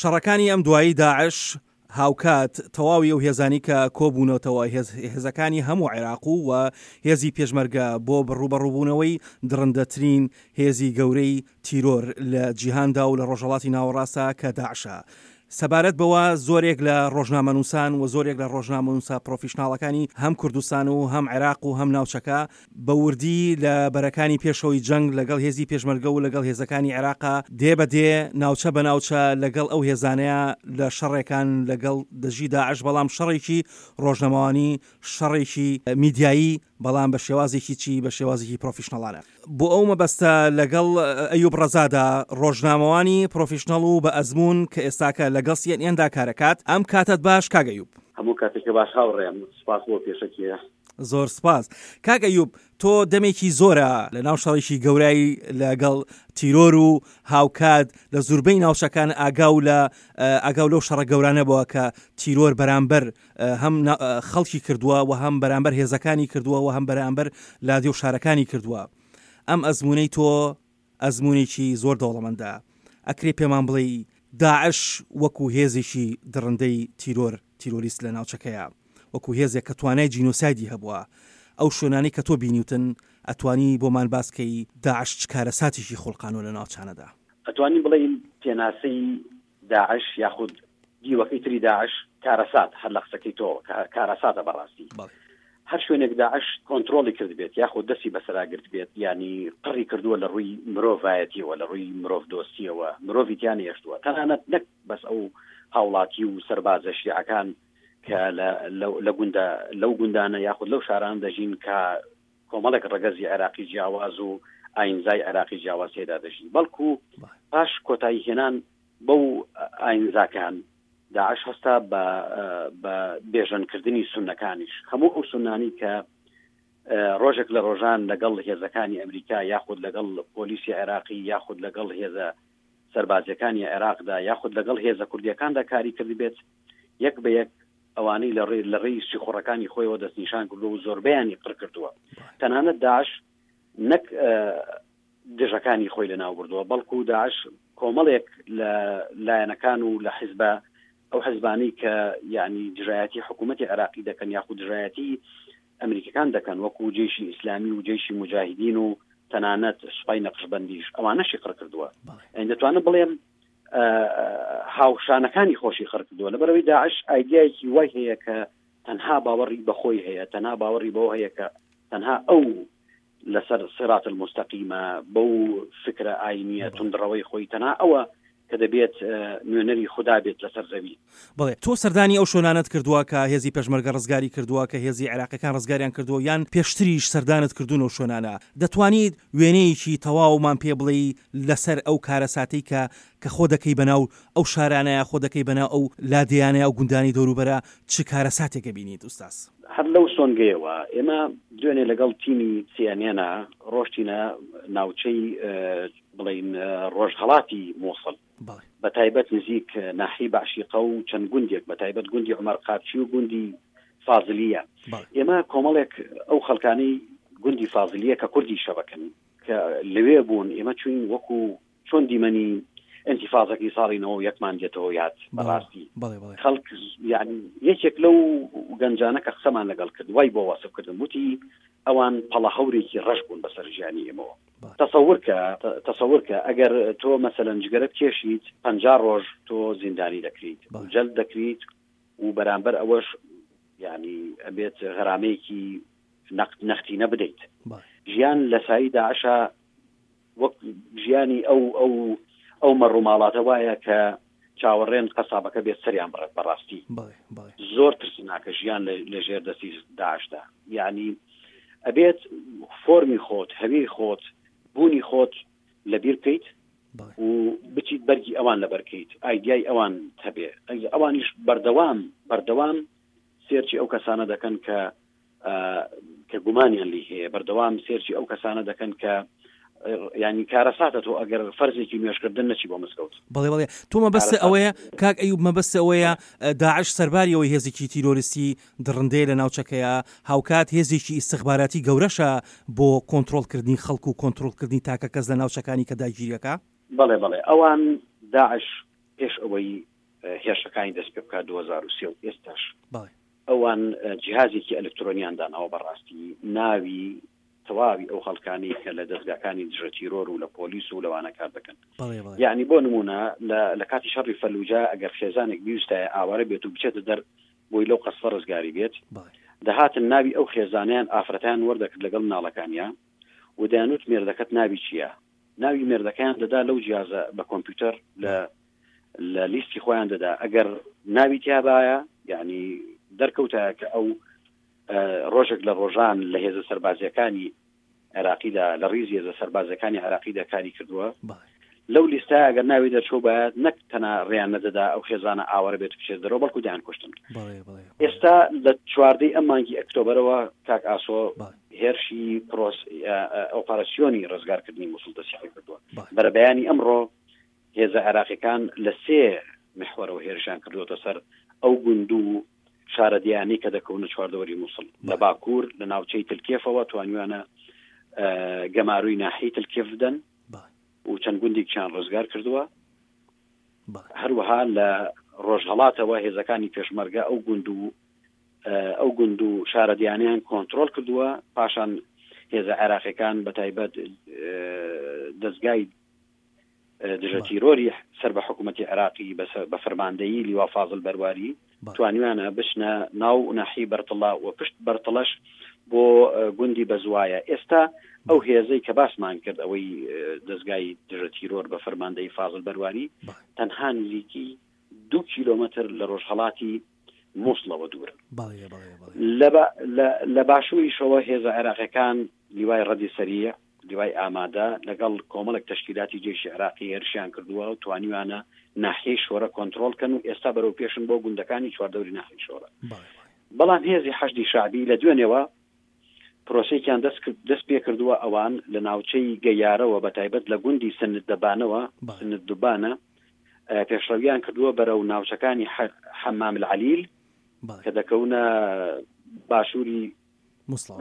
شەڕەکانی ئەم دوایی داعش هاوکات تەواوی ئەو هێزانی کە کۆبوونەتەوە هێزەکانی هەموو عێراق و و هێزی پێشمەرگە بۆ ڕووبەڕووبوونەوەی دڕندەترین هێزی گەورەی تیرۆر لە جیهاندا و لە ڕۆژهەڵاتی ناوەڕاستە کە داعشە. سەبارەت بەوە زۆرێک لە ڕۆژنامەنووسان و زۆرێک لە ڕۆژنامەنووسە پڕۆفیشناڵەکانی هەم کوردستان و هەم عێراق و هەم ناوچەکە بە وردی لە بەرەکانی پێشەوەی جەنگ لەگەڵ هێزی پێشمەرگە و لەگەڵ هێزەکانی عێراقا دێ بە دێ، ناوچە بە ناوچە لەگەڵ ئەو هێزانەیە لە شەڕێکان لەگەڵ دژی داعش، بەڵام شەڕێکی ڕۆژنەمەوانی، شەڕێکی میدیایی، بەڵام بە شێوازێکی چی؟ بە شێوازێکی پرۆفیشنەڵانە. بۆ ئەو مەبەستە لەگەڵ ئەیوب ڕەزادا، ڕۆژنامەوانی پرۆفیشنەڵ و بە ئەزموون کە ئێستاکە لەگەڵ سی ئێن ئێندا کارەکات، ئەم کاتەت باش کاک ئەیوب. هەموو کاتێکت باش هاوڕێم، سوپاس بۆ پێشەکییە. زۆر سپاس. کاک ئەیوب تۆ دەمێکی زۆرە لە ناو شەڕێکی گەورای لەگەڵ تیرۆر و هاوکات لە زوربەی ناوچەکان ئاگاو لە ئاگاو لەو شەڕە گەورانە بووە کە تیرۆر بەرامبەر هەم خەڵکی کردووە و هەم بەرامبەر هێزەکانی کردووە و هەم بەرامبەر لادێ و شارەکانی کردووە. ئەم ئەزموونەی تۆ ئەزموونێکی زۆر دەوڵەمەندە. ئەکرێ پێمان بڵێی داعش وەکو هێزێکی دڕندەی تیرۆر، تیرۆریست لە ناوچەکەیا، وەکو هێزێک کە توانای جینۆسایدی هەبووە، ئەو شوێنانەی کە تۆ بینیوتن، ئەتوانی بۆمان باس کەی داعش چ کارەساتێکی خوڵقانوە لە ناوچانەدا؟ ئەتوانین بڵێین پێناسەی داعش یاخود دیوەکەی تری داعش کارەسات هەر لە قسەکەی تۆ کارەساتە بەڕاستی هەر شوێنێک داعش کۆنتترۆلی کردبێت یاخود دەستی بەسەرا گرت بێت ینی قڕی کردووە لە ڕووی مرۆڤایەتیەوە لە ڕووی مرۆڤ دۆستیەوە مرۆڤی تیان هێشتووە تەنانەت نەک بەس ئەو هاوڵاتی و سەربازە شیعەکان کە لە گوندە لەو گوندانە یاخود لەو شاران دەژین کە کۆمەڵێک ڕەگەزی عێراقی جیاواز و ئاینزای عێراقی جیاواز تێدا دەژی بەڵکو پاش کۆتایی هێنان بەو ئاینزاکان داعش هەستا بە بە بێژەنکردنی سونەکانیش هەموو ئەو سونانی کە ڕۆژێک لە ڕۆژان لەگەڵ هێزەکانی ئەمریکا یاخود لەگەڵ پۆلیسی عێراقی یاخود لەگەڵ هێزە سەربازیەکانی عێراقدا یاخود لەگەڵ هێزە کوردیەکاندا کاری کردبێت یەک بە یەک ئەوانەی لە ڕێ لە ڕێی سیخوڕەکانی خۆیەوە دەستنیشان کردووە و زۆربەیانی قڕ کردووە تەنانەت داعش نەک دژەکانی خۆی لەناو بردووە بەڵکو داعش کۆمەڵێک لە لایەنەکان و لە حیزبە ئەو حزبانی کە یعنی دژایەتی حکوومەتی عێراقی دەکەن یاخود دژایەتی ئەمریکەکان دەکەن وەکو جێشی ئیسلامی و جێشی مجاهدین و تەنانەت سوپای نەقشبندیش ئەوانەشی قڕ کردووە دەتوانم بڵێم هاوشانەکانی خۆشی خڕ کردووە لەبەرەوەی داعش ئایدیایەکی وای هەیە کە تەنها باوەڕی بەخۆی هەیە تەنها باوەڕی بەوە هەیە کە تەنها ئەو لەسەر سرات المستەقیمە بەو فکرە ئاینیە تونندڕەوەی خۆی تەنها ئەوە کە دەبێت نوێنەری خوددا بێت لەسەر زەوی. بەڵێ تۆ سەردانی ئەو شوێنانەت کردووە کە هێزی پێشمەرگە ڕزگاری کردووە، کە هێزی عێراقیەکان ڕزگاریان کردووە یان پێشتریش سەردانت کردوون ئەو شوێنانە، دەتوانیت وێنەیەکی تەواومان پێ بڵێی لەسەر ئەو کارەساتەی کە کە خۆ دەکەی بەناو ئەو شارانەیا خۆ دەکەی بەناو ئەو لادێیانەیا ئەو گوندانەی دەوروبەرا چ کارەساتێک ئەبینیت ئوستاز؟ هەر لەو سۆنگەیەوە ئێمە دوێنێ لەگەڵ تیمی سی ئێن ئێن ڕۆشتینە ناوچەی بڵێین ڕۆژهەڵاتی موسڵ بە تایبەت نزیک ناحی بەعشیقە و چەند گوندێک بە تایبەت گوندی عمر قاپچی و گوندی فازلیە ئێمە کۆمەڵێک ئەو خەڵکانی گوندی فازلیە کە کوردی شەبەکەن کە لەوێ بوون ئێمە چوین وەکو چۆن دیمەنی ئەنتیفازەکەی ساڵی یەکمان دێتەوە یاد بەڕاستی خەڵک یعنی یەکێک لەو گەنجانە کە قسەمان لەگەڵ کرد وای بۆ وەسف کردم وتی ئەوان پەڵە هەورێکی ڕەش بوون بەسەر ژیانی ئێمەوە تەسەور کە تەسەور کە ئەگەر تۆ مەسەلەن جگەرە بکێشیت 50 ڕۆژ تۆ زیندانی دەکریت جەلد دەکریت و بەرامبەر ئەوەش یعنی ئەبێت غەرامەیەکی نەقد نەختینە بدەیت ژیان لە سایی داعشا وەک ژیانی ئەو ئەو ئەو مەڕوماڵاتە وایە کە چاوەڕێن قەسابەکە بێت سەریان بڕێت بەڕاستی زۆر ترسناکە ژیان لە ژێر دەستی داعشدا یعنی ئەبێت فۆرمی خۆت هەوی خۆت بوونی خۆت لەبیر بکەیت و بچیت بەرگی ئەوان لەبەرکەیت ئایدیای ئەوان هەبێ ئەوانیش بەردەوام بەردەوام سێرچی ئەو کەسانە دەکەن کە کە گومانیان لی هەیە بەردەوام سێرچی ئەو کەسانە دەکەن کە ینی کارەساتە تۆ ئەگەر فەرزێکی نوێشکردن نەچی بۆ مزگەوت. بەڵێ بەڵێ تۆ مەبەست ئەوەیە کاک ئەیوب مەبەست ئەوەیە داعش سەرباری ئەوەی هێزێکی تیرۆریستی دڕندەیە لە ناوچەکەیە هاوکات هێزێکی ئیستخباراتی گەورەشە بۆ کۆنترۆڵکردنی خەڵک و کۆنترۆڵکردنی تاکە کەس لە ناوچەکانی کە داگیریەکە. بەڵێ بەڵێ ئەوان داعش. پێش ئەوەی هێرشەکانی دەست پێ بکات 2023 و ئێستاش ئەوان جیهازێکی ئەلکترۆنیان داناوە بەڕاستی ناوی تەواوی ئەو خەڵکانەی کە لە دەزگاکانی دژە تیرۆر و لە پۆلیس و لەوانە کار دەکەن یعنی بۆ نمونە لە کاتی شەڕی فەلوجە ئەگەر خێزانێک بیوستایە ئاوارە بێت و بچێتە دەر بۆی لەو قەسفە ڕزگاری بێت دەهاتن ناوی ئەو خێزانیان ئافرەتیان وەردەکرد لەگەڵ مناڵەکانیان و دەیانوت مێردەکەت ناوی چییە ناوی مێردەکەیان دەدا لەو جیازە بە کۆمپیوتەر لە لە لیستی خۆیان دەدا ئەگەر ناوی تیابایە یعنی دەرکەوتایە کە ئەو ڕۆژێک لە ڕۆژان لە هێزە سەربازیەکانی عێراقیدا لە ڕیزی هێزە سەربازەکانی عێراقیدا کاری کردووە لەو لیستە ئەگەر ناوی دەرچوو باید نەک تەنها ڕێیان نەدەدا ئەو خێزانە ئاوارە بێت بچێت دەرەوە بەڵکو دەیان کوشتن ئێستا لە چواردەی ئەم مانگی ئەکتۆبەرەوە کاک ئاسۆ هێرشی پرۆس ئۆپەراسیۆنی ڕزگارکردنی موسڵ دەستی کردووە بەرەبەیانی ئەمڕۆ هێزە عێراقیەکان لە سێ محوەرەوە هێرشیان کردووەتە سەر ئەو گوند و شارەدێیانەی کە دەکەونە چواردەوەری موسڵ. لە باکوور لە ناوچەی تلکێفەوە توانیویانە گەمارۆی ناحیەی تلکێف بدەن و چەند گوندێکیان ڕزگار کردووە. هەروەها لە ڕۆژهەڵاتەوە هێزەکانی پێشمەرگە ئەو گوند و ئەو گوند و شارەدێیانەیان کۆنترۆڵ کردووە. پاشان هێزە عێراقیەکان بە تایبەت دەزگای دژە تیرۆری سەر بە حکوومەتی عێراقی بە فەرماندەیی لیوا فازل بەرواری توانیویانە بچنە ناو ناحی بەرتڵە و پشت بەرتڵەش بۆ گوندی بەزوایە ئێستا ئەو هێزەی کە باسمان کرد ئەوەی دەستگای دژە تیرۆر بە فەرماندەی فازل بەرواری تەنها نزیکی دو کیلۆمەتر لە ڕۆژهەڵاتی مووسڵەوە دوورن لە باشووریشەوە هێزە عێراقیەکان لیوای ڕەدی سەریع لیوای ئامادە لەگەڵ کۆمەڵێک تەشکیلاتی جەیشی عێراقی هێرشیان کردووە و توانیویانە ناحیەی شۆرە کۆنترۆڵ کەن و ئێستا بەرەو پێشن بۆ گوندەکانی چواردەوری ناحیەی شۆرە. بەڵام هێزی حەشدی شەعبی لە دوێنێوە پرۆسەیەکیان دەست دەست پێ کردووە ئەوان لە ناوچەی گەیارەوە بە تایبەت لە گوندی سنددەبانەوە سنددوبانە پێشڕەویان کردووە بەرەو ناوچەکانی حەمام العلیل کە دەکەونە باشووری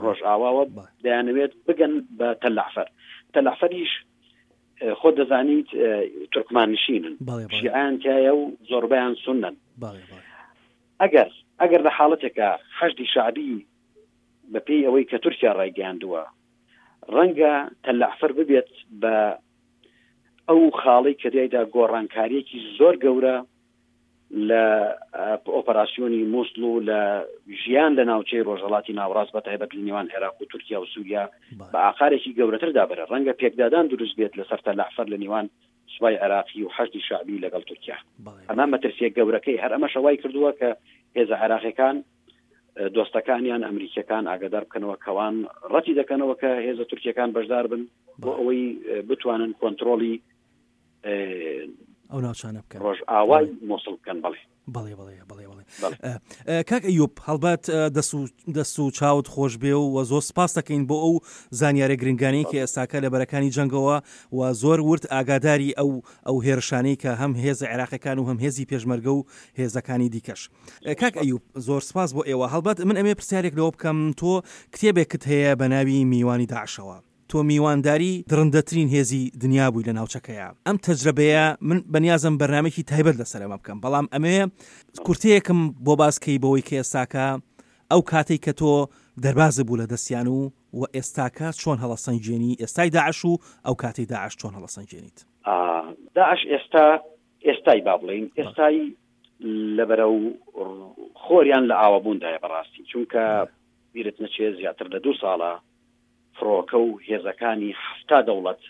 ڕۆژئاواوە دەیانەوێت بگەن بە تەلەعفەر تەلەعفەریش خۆ دەزانیت تورکمان نشینن شیعیان تایە و زۆربیان سونن ئەگەر ئەگەر لە حاڵەتێکە حەشدی شعبی بەپێی ئەوەی کە تورکیا ڕایگەیاندووە ڕەنگە تەلەعفەر ببێت بە ئەو خاڵی کە دیایدا گۆڕانکاریەکی زۆر گەورە لە ئۆپەراسیۆنی موسڵ و لە ژیان لە ناوچەی ڕۆژهەڵاتی ناوەڕاست بە تایبەت لە نێوان عێراق و تورکیا و سووریا بە ئاقارێکی گەورەتردا بەرە ڕەنگە پێکدادان دروست بێت لەسەر تەلەعفەر لە نێوان سوپای عێراقی و حەشدی شەعبی لەگەڵ تورکیا ئەمە مەترسیە گەورەکەی هەر ئەمەشە وای کردووە کە هێزە عێراقیەکان دۆستەکانیان ئەمریکیەکان ئاگادار بکەنەوە کەوان ڕەتی دەکەنەوە کە هێزە تورکیەکان بەشدار بن بۆ ئەوەی بتوانن کۆنتترۆلی ئەو ناوچانە بکەن ڕۆژئاوای مۆسڵ بکەن بەڵێ بەڵێ بەڵێ بەڵێ بەڵێ کاک ئەیوب هەڵبەت دەست و دەست و چاوت خۆش بێ و زۆر سپاس دەکەین بۆ ئەو زانیارە گرنگانەی کە ئێستاکە لە بەرەکانی جەنگەوە و زۆر ورد ئاگاداری ئەو ئەو هێرشانەی کە هەم هێزە عێراقەکان و هەم هێزی پێشمەرگە و هێزەکانی دیکەش کاک ئەیوب زۆر سپاس بۆ ئێوە هەڵبەت من ئەمێ پرسیارێک لەوە بکەم تۆ کتێبێکت هەیە بە ناوی میوانی داعشەوە تۆ میوانداری دڕندەترین هێزی دنیا بووی لە ناوچەکەیا. ئەم تەجرەبەیە من بەنیازم بەرنامەیەکی تایبەت لەسەر ئەمە بکەم بەڵام ئەمەوێ کورتەیەکم بۆ باس کەی بەوەی کە ئێستاکە ئەو کاتەی کە تۆ دەربازت بوو لە دەستیان و و ئێستاکە چۆن هەڵەسەنگێنی ئێستای داعش و ئەو کاتەی داعش چۆن هەڵەسەنگێنیت؟ داعش ئێستا ئێستای با بڵێین ئێستای لە بەرەو خۆریان لە ئاوابووندایە بەڕاستی چونکە بیرت نەچێ زیاتر لە دوو ساڵە فڕۆکە و هێزەکانی حەفتا دەوڵەت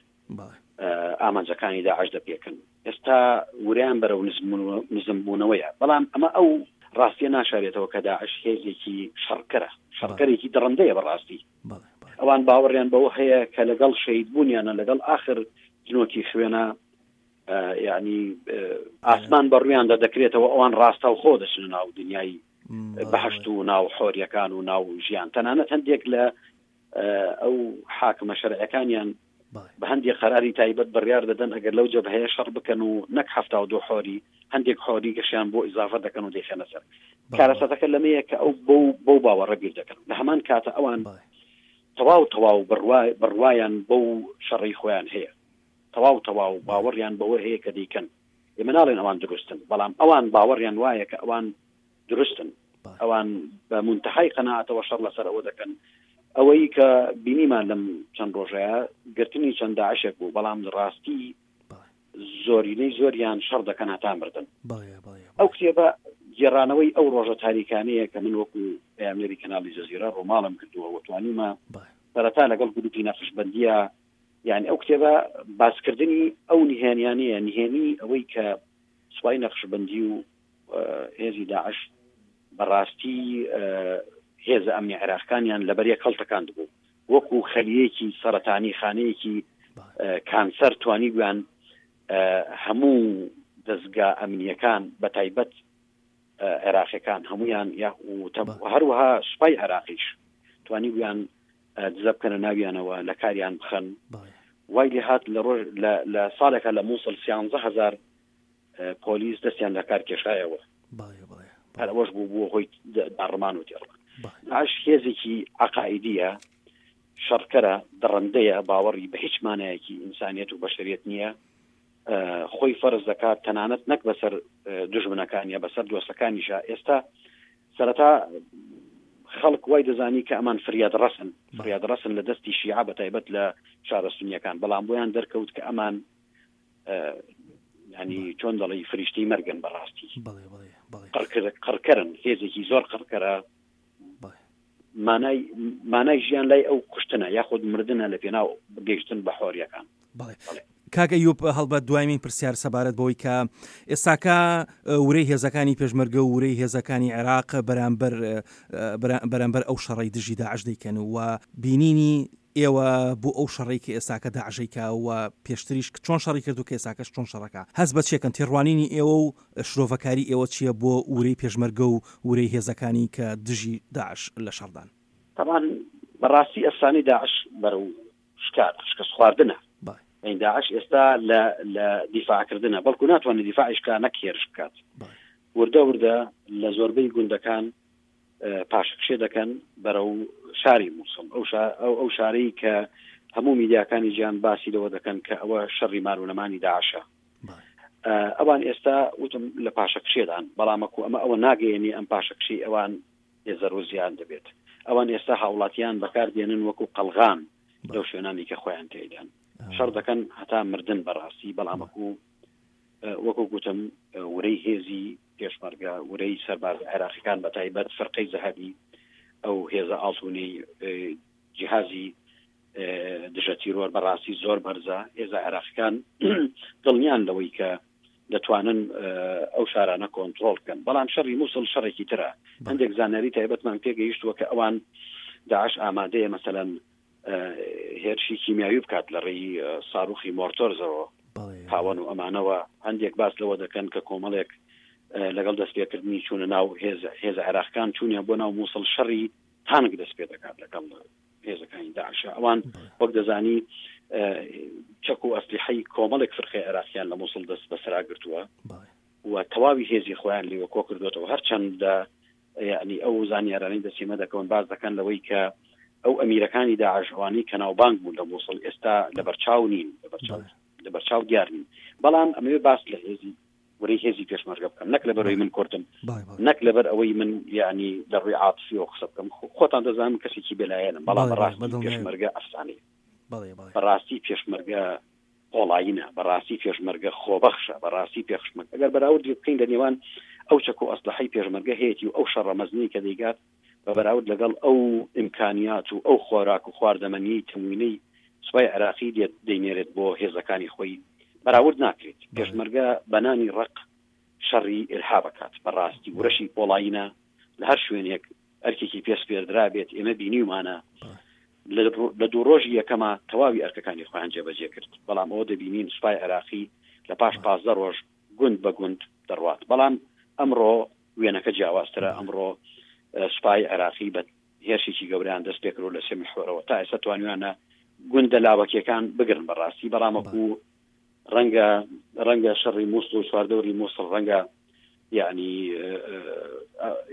ئامانجەکانی داعش دەپێکن ئێستا وریان بەرەو نزمبوونەوەیە بەڵام ئەمە ئەو ڕاستیە ناشارێتەوە کە داعش هێزێکی شەڕکەرە شەڕکەرێکی دڕندەیە بەڕاستی ئەوان باوەڕیان بەوە هەیە کە لەگەڵ شەید بوونیانە لەگەڵ ئاخر جنۆکی خوێنە یعنی ئاسمان بە ڕویاندا دەکرێتەوە ئەوان ڕاستەوخۆ دەچنە ناو دنیای بەهشت و ناو حۆریەکان و ناو ژیان تەنانەت هەندێک لە ئەو حاکمە شەرعەکانیان بە هەندێک قەراری تایبەت بڕیار دەدەن ئەگەر لەو جەبهەیە شەڕ بکەن و نەک 72 حۆری هەندێک حۆری گەشیان بۆ ئیزافە دەکەن و دەیخەنە سەر کارەساتەکە لەمەیە کە ئەو بەو بەو باوەڕە بیر دەکەن لە هەمان کاتە ئەوان تەواو تەواو بڕوایان بەو شەڕی خۆیان هەیە تەواو تەواو باوەڕیان بەوە هەیە کە دەیکەن. ئێمە ناڵێن ئەوان دروستن، بەڵام ئەوان باوەڕیان وایە کە ئەوان دروستن. ئەوان بە مونتەهای قەناعەتەوە شەڕ لەسەر ئەوە دەکەن. ئەوەی کە بینیمان لەم چەند ڕۆژەیە گرتنی چەند داعشێک بوو، بەڵام ڕاستی زۆرینەی زۆریان شەڕ دەکەن هەتا مردن. ئەو کتێبە گێڕانەوەی ئەو ڕۆژە تاریکانەیە کە من وەکو پەیامنێری کەناڵی جەزیرە ڕووماڵم کردووە و توانیومە سەرەتا لەگەڵ گروپی نەقشبەندییە یعنی ئەو کتێبە باسکردنی ئەو نهێنیانەیە، نهێنی ئەوەی کە سوپای نەقشبەندی و هێزی داعش بەڕاستی هێزە ئەمنی عێراقەکانیان لەبەر یەک هەڵتەکاندبوو، وەکو خەلیەکی سەرەتانی خانەیەکی کانسەر توانیبوویان هەموو دەزگا ئەمنیەکان بە تایبەت عێراقیەکان هەمویان هەروەها سوپای عێراقیش توانیبوویان دزە بکەنە ناویانەوە لە کاریان بخەن. وای لێ هات لە ڕۆژ لە ساڵێکا لە مووسڵ سیانزە هەزار پۆلیس دەستیان لە کار کێشایەوە. هەر ئەوەش بوو بووە هۆی داڕمان و تێڕمان. داعش هێزێکی عەقائیدییە، شەڕکەرە، دڕندەیە، باوەڕی بە هیچ مانایەکی ئینسانیەت و بەشەریەت نییە. خۆی فەرز دەکات تەنانەت نەک بەسەر دوژمنەکانیە بەسەر دۆستەکانیشا. ئێستا سەرەتا خەڵک وای دەزانی کە ئەمان فریاد ڕەسن، فریاد ڕەسن لە دەستی شیعە بە تایبەت لە شارە سونیەکان، بەڵام بۆیان دەرکەوت کە ئەمان ینی چۆن دەڵی فریشتەی مەرگن بەڕاستی قڕکەرن، هێزێکی زۆر قڕکەرە. مانای مانای ژیان لای ئەو کوشتنە یاخود مردنە لە پێناو گەیشتن بە حۆریەکان. بەڵێ کاک ئەیوب، هەڵبەت دوایمین پرسیار سەبارەت بەوەی کە ئێستاکە ورەی هێزەکانی پێشمەرگە و ورەی هێزەکانی عێراق بەرامبەر بەرامبەر ئەو شەڕەی دژی داعش دەیکەن و بینینی ئێوە بۆ ئەو شەڕەی کە ئێستاکە داعش ئەیکا و پێشتریش چۆن شەڕی کرد و کە ئێستاکەش چۆن شەڕەکا هەست بە چیەکەن تێڕوانینی ئێوە و شرۆڤەکاری ئێوە چیە بۆ ورەی پێشمەرگە و ورەی هێزەکانی کە دژی داعش لە شەڕدان؟ تەبعەن بەڕاستی ئەفسانەی داعش بەرەو شکار شکست خواردنە یعنی داعش ئێستا لە لە دیفاعکردنە بەڵکو ناتوانێت دیفاعیش کا نەک هێرش بکات وردە وردە لە زۆربەی گوندەکان پاشەکشێ دەکەن بەرەو شاری مووسڵ ئەو ئەو ئەو شارەی کە هەموو میدیاکانی جیان باسی لەوە دەکەن کە ئەوە شەڕی مان و نەمانی داعشە ئەوان ئێستا وتم لە پاشەکشێدان بەڵامەکو ئەمە ئەوە ناگەیەنی ئەم پاشەکشی ئەوان زەرەر و زیان دەبێت. ئەوان ئێستا هاوڵاتیان بەکار دێنن وەکو قەڵغان لەو شوێنانی کە خۆیان تێیدان. شەڕ دەکەن هەتا مردن بەڕاستی، بەڵام وەکو وەکو گوتم ورەی هێزی پێشمەرگە، ورەی سەربازە عێراقیەکان بە تایبەت فرقەی زەهەبی ئەو هێزە ئاڵتونەی جیهازی دژە تیرۆر بەڕاستی زۆر بەرزە. هێزە عێراقیەکان دڵنیان لەوەی کە دەتوانن ئەو شارانە کۆنترۆڵ بکەن، بەڵام شەڕی مووسڵ شەڕێکی ترە. هەندێک زانیاری تایبەتمان پێگەیشتووە کە ئەوان داعش ئامادەیە مەسەلەن هێرشی کیمیاوی بکات لە ڕێی ساروخی مۆرتۆرزەوە هاوەن و ئەمانەوە. هەندێک باس لەوە دەکەن کە کۆمەڵێک لەگەڵ دەستپێکردنی چوونە ناو هێزە عێراقەکان چوونیان بۆ ناو مووسڵ شەڕی تانک دەست پێ دەکات لەگەڵ هێزەکانی داعشە. ئەوان وەک دەزانی چەک و ئەسلیحەی کۆمەڵێک فرقەی عێراقیان لە مووسڵ دەست بەسەرا گرتووە و تەواوی هێزی خۆیان لێوە کۆ کردوێتەوە. هەرچەندە یعنی ئەو زانیارانەی دەسیمە دەکەون باز دەکەن لەوەی کە ئەو ئەمیرەکانی داعش ئەوانەی کە ناوبانگ بوون لە مووسڵ ئێستا لەبەرچاو نین، لەبەرچاو دیار نین. بەڵام ئەمەوێ باس لە هێزی ورەی هێزی پێشمەرگە بکەم، نەک لەبەرەوەی من کوردم، نەک لەبەر ئەوەی من یعنی لە ڕووی عاتفیەوە قسە بکەم. خۆتان دەزانم کەسێکی بێلایەنم، بەڵام بەڕاستی پێشمەرگە ئەفسانەیە، بەڕاستی پێشمەرگە قۆڵایینە، بەڕاستی پێشمەرگە خۆبەخشە، بەڕاستی پێشمەرگە ئەگەر بەراوردی بکەین لە نێوان ئەو چەک و ئەسلحەی پێشمەرگە هەیەتی و ئەو شەڕە مەزنەی کە دەیگات بە بەراورد لەگەڵ ئەو ئیمکانیات و ئەو خۆراک و خواردەمەنیی تەموینەی سوپای عێراقی دێت دەینێرێت بۆ هێزەکانی خۆی بەراورد ناکرێت. پێشمەرگە بە نانی ڕەق شەڕی ئیرهاب ئەکات. بە ڕاستی ورەشی پۆڵایینە لە هەر شوێنێک ئەرکێکی پێ سپێردرابێت ئێمە بینیومانە لە دوو ڕۆژی یەکەما تەواوی ئەرکەکانی خۆیان جێبەجێ کرد، بەڵام ئەوە دەبینین سوپای عێراقی لە پاش 15 ڕۆژ گوند بە گوند دەڕوات. بەڵام ئەمڕۆ وێنەکە جیاوازترە، ئەمڕۆ سوپای عێراقی بە هێرشێکی گەورەیان دەست پێکردوە لە سێ محوەرەوە، تا ئێستا توانیویانە گوندە لاوەکیەکان بگرن بەڕاستی، بەڵام وەکو ڕەنگە ڕەنگە شەڕی مووسڵ و چواردەوری مووسڵ ڕەنگە یعنی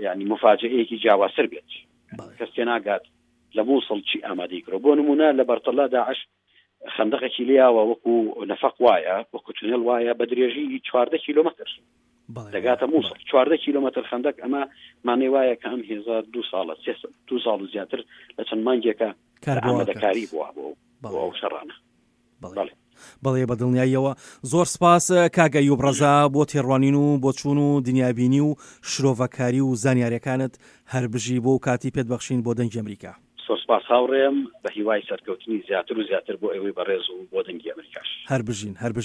یعنی مفاجئەیەکی جیاوازتر بێت، کەس تێناگات لە مووسڵ چی ئامادەی کرد. بۆ نمونە لە بەرتەڵا داعش خەندەقێکی لیاوە وەکو نەفەق وایە، وەکو تونێل وایە بە درێژی 14 کیلۆمەتر دەگاتە مووسڵ. 14 کیلۆمەتر خەندەق، ئەمە مانای وایە کە ئەم هێزە دوو ساڵە، سێ دوو ساڵ و زیاتر لە چەند مانگێکە ئامادەکاری بووە بۆ ئەو شەڕانە. بەڵێ. بەڵێ بە دڵنیاییەوە. زۆر سپاس کاک ئەیوب ڕەزا بۆ تێڕوانین و بۆچوون و دنیابینی و شرۆڤەکاری و زانیاریەکانت، هەر بژی بۆ کاتی پێت بەخشین بۆ دەنگی ئەمریکا. زۆر سپاس هاوڕێم، بە هیوای سەرکەوتنی زیاتر و زیاتر بۆ ئێوەی بەڕێز و بۆ دەنگی ئەمریکاش. هەر بژین هەر بژین.